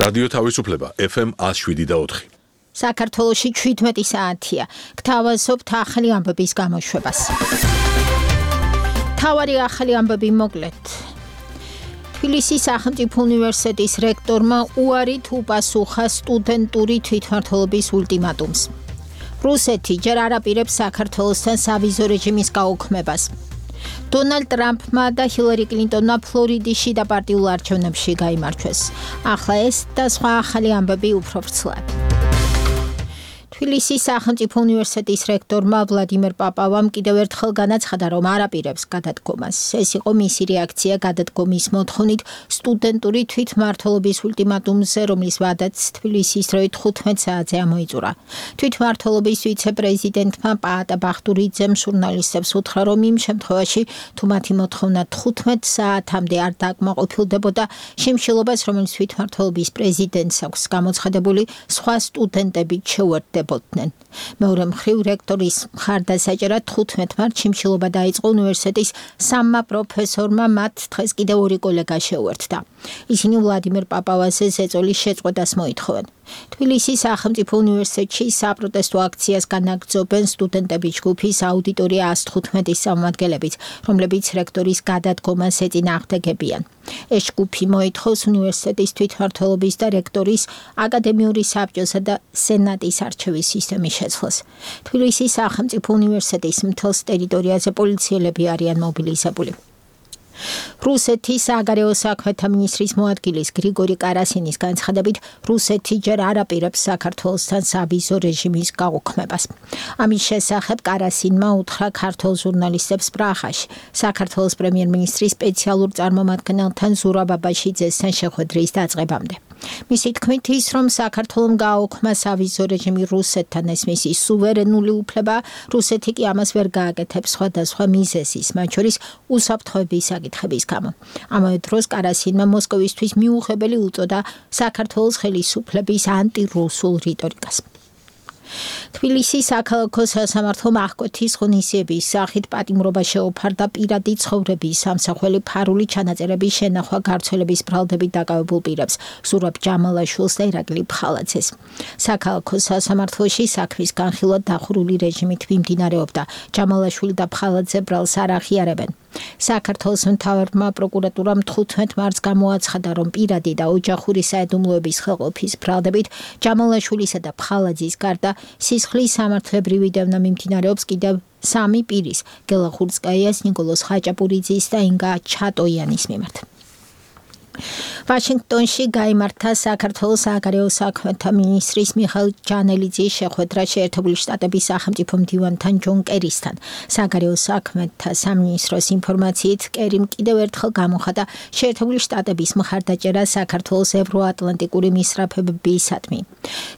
რადიო თავისუფლება FM 107.4. საქართველოში 17 საათია. გთავაზობთ ახალი ამბების გამოშვებას. თავარი ახალი ამბები მოკლედ. თბილისის სახელმწიფო უნივერსიტეტის რექტორმა უარით უპასუხა სტუდენტური თვითმმართველობის ულტიმატუმს. რუსეთი ჯერ არ აპირებს საქართველოსთან სავიზო რეჟიმის გაუქმებას. დონალდ ტრამპმა და ჰილარი კლინტონმა ფლორიდაში და პარტიულ არჩევნებში გაიმარჯვეს. ახლა ეს და სხვა ახალი ამბები უფრო ვრცლად. თბილისის სახელმწიფო უნივერსიტეტის რექტორმა ვლადიმერ პაპავამ კიდევ ერთხელ განაცხადა, რომ არ აპირებს გადადგომას. ეს იყო მისი რეაქცია გადადგომის მოთხოვნით სტუდენტური თვითმმართველობის ულტიმატუმზე, რომლის ვადაც თბილისის დროით 15 საათზე ამოიწურა. თვითმმართველობის ვიცე-პრეზიდენტმა პაატა ბახტურიძემ ჟურნალისტებს უთხრა, რომ იმ შემთხვევაში, თუ მათი მოთხოვნა 15 საათამდე არ დაკმაყოფილდებოდა, შემშილობას, რომელიც თვითმმართველობის პრეზიდენტს აქვს გამოცხადებული, სხვა სტუდენტებით შეუერთდებოდნენ. მეორე მხრივ რექტორის მხარდასაჭერად 15 მარტს შიმშილობა დაიწყო უნივერსიტეტის სამმა პროფესორმა, მათ დღეს კიდევ ორი კოლეგა შეუერთდა. ისინი ვლადიმერ პაპავას ეწოლის შეწყვეტას მოითხოვენ. თბილისის სახელმწიფო უნივერსიტეტში საპროტესტო აქციას განაგრძობენ სტუდენტების ჯგუფის აუდიტორია 115-ის წარმომადგენლებით, რომლებიც რექტორის გადადგომას ეწინააღმდეგებიან. ეს ჯგუფი მოითხოვს უნივერსიტეტის თვითმმართველობის და რექტორის აკადემიური საბჭოსა და სენატის არჩევის სისტემის შეცვლას. თბილისის სახელმწიფო უნივერსიტეტის მთელს ტერიტორიაზე პოლიციელები არიან მობილიზებული. რუსეთის საგარეო საქმეთა მინისტრის მოადგილის გრიგორი კარასინის განცხადებით, რუსეთი ჯერ არ აპირებს საქართველოსთან სავიზო რეჟიმის გაუქმებას. ამის შესახებ კარასინმა უთხრა ქართულ ჟურნალისტებს პრაღაში, საქართველოს პრემიერ-მინისტრის სპეციალურ წარმომადგენელთან ზურაბ აბაშიძესთან შეხვედრის დაწყებამდე. მისი თქმით ის, რომ საქართველომ გააუქმა სავიზო რეჟიმი რუსეთთან, ეს მისი სუვერენული უფლება, რუსეთი კი ამას ვერ გააკეთებს სხვადასხვა მიზეზის, მათ შორის უსაფრთხოების საკითხების გამო. ამავე დროს კარასინმა მოსკოვისთვის მიუღებელი უწოდა საქართველოს ხელისუფლების ანტირუსულ რიტორიკას. თბილისის საქალაქო სასამართლომ აღკვეთის ღონისძიების სახით პატიმრობა შეუფარდა პირადი ცხოვრების სამსახველი ფარული ჩანაწერების შენახვა გავრცელების ბრალდებით დაკავებულ პირებს, ზურაბ ჯამალაშვილს და ირაკლი ფხალაძეს. საქალაქო სასამართლოში საქმის განხილვა დახურული რეჟიმით მიმდინარეობდა. ჯამალაშვილი და ფხალაძე ბრალს არ აღიარებენ. საქართველოს მთავარმა პროკურატურამ 15 მარტს გამოაცხადა, რომ პირადი და ოჯახური საიდუმლოების ხელყოფის ბრალდებით ჯამალაშვილისა და ფხალაძის გარდა სისხლის სამართლებრივი დევნა მიმდინარეობს კიდევ 3 პირის, გელა ხურცკაიას, ნიკოლოზ ხაჭაპურიძის და ინგა ჩატოიანის მიმართ. ვაშინგტონში გაიმართა საქართველოს საგარეო საქმეთა მინისტრის მიხეილ ჯანელიძის შეხვედრა შეერთებული შტატების სახელმწიფო მდივანთან ჯონ კერისთან. საგარეო საქმეთა სამინისტროს ინფორმაციით, კერიმ კიდევ ერთხელ გამოხატა შეერთებული შტატების მხარდაჭერა საქართველოს ევროატლანტიკური მისწრაფებებისადმი.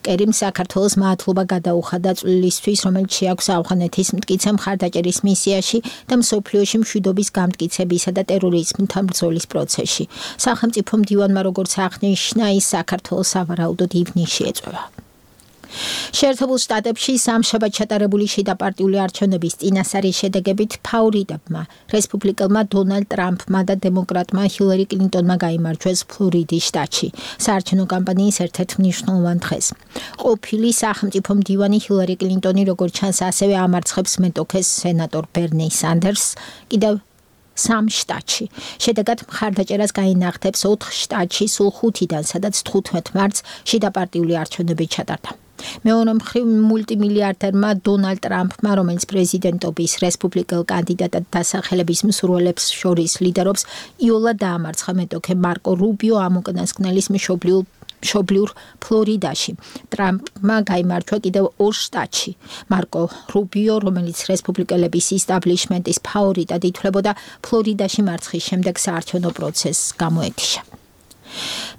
კერიმ საქართველოს მადლობა გადაუხადა წვლილისთვის, რომელიც შეაქვს ავღანეთის მტკიცე მხარდაჭერის მისიაში და მსოფლიოში მშვიდობის გამტკიცებისა და ტერორიზმთან ბრძოლის პროცესში. სახელმწიფო მდივანმა როგორც აღნიშნა, ის საქართველოს სავარაუდოდ ივნისში ეწევა. შეერთებულ შტატებში სამშაბათ ჩატარებული შიდაპარტიული არჩევნების წინასწარი შედეგებით ფავორიტებმა, რესპუბლიკელმა დონალდ ტრამპმა და დემოკრატმა ჰილარი კლინტონმა გაიმარჯვეს ფლორიდის შტატში, საარჩევნო კამპანიის ერთ-ერთ მნიშვნელოვან დღეს. ყოფილი სახელმწიფო მდივანი ჰილარი კლინტონი, როგორც ჩანს, ასევე ამარცხებს მეტოქეს სენატორ ბერნი სანდერსს კიდევ 3 შტატში. შედეგად მხარდაჭერას გაინახდებს 4 შტატში სულ 5-დან, სადაც 15 მარტს შიდაპარტიული არჩევნები ჩატარდა. მეორე მხრივ მულტიმილიარდერმა დონალდ ტრამპმა, რომელიც პრეზიდენტობის რესპუბლიკელ კანდიდატად დასახელების მსურველებს შორის ლიდერობს, იოლად დაამარცხა მეტოქე მარკო რუბიო ამ უკანასკნელის მშობლიურ ფლორიდაში. ტრამპმა გაიმარჯვა კიდევ 2 შტატში. მარკო რუბიო, რომელიც რესპუბლიკელების ისტაბლიშმენტის ფავორიტად ითვლებოდა, ფლორიდაში მარცხის შემდეგ საარჩევნო პროცესს გამოეთიშა.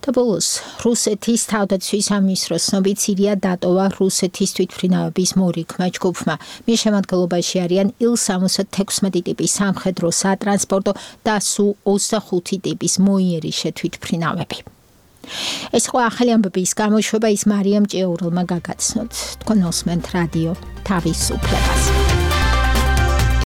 და ბოლოს, რუსეთის თავდაცვის სამინისტროს ცნობით, სირია დატოვა რუსეთის თვითმფრინავების მორიგმა ჯგუფმა. მის შემადგენლობაში არიან Il-76 ტიპის სამხედრო სატრანსპორტო და Su-25 ტიპის მოიერიშე თვითმფრინავები. ეს იყო ახალი ამბების გამოშვება, ის მარიამ ჭეურელმა გაგაცნოთ. თქვენ უსმენთ რადიო თავისუფლებას.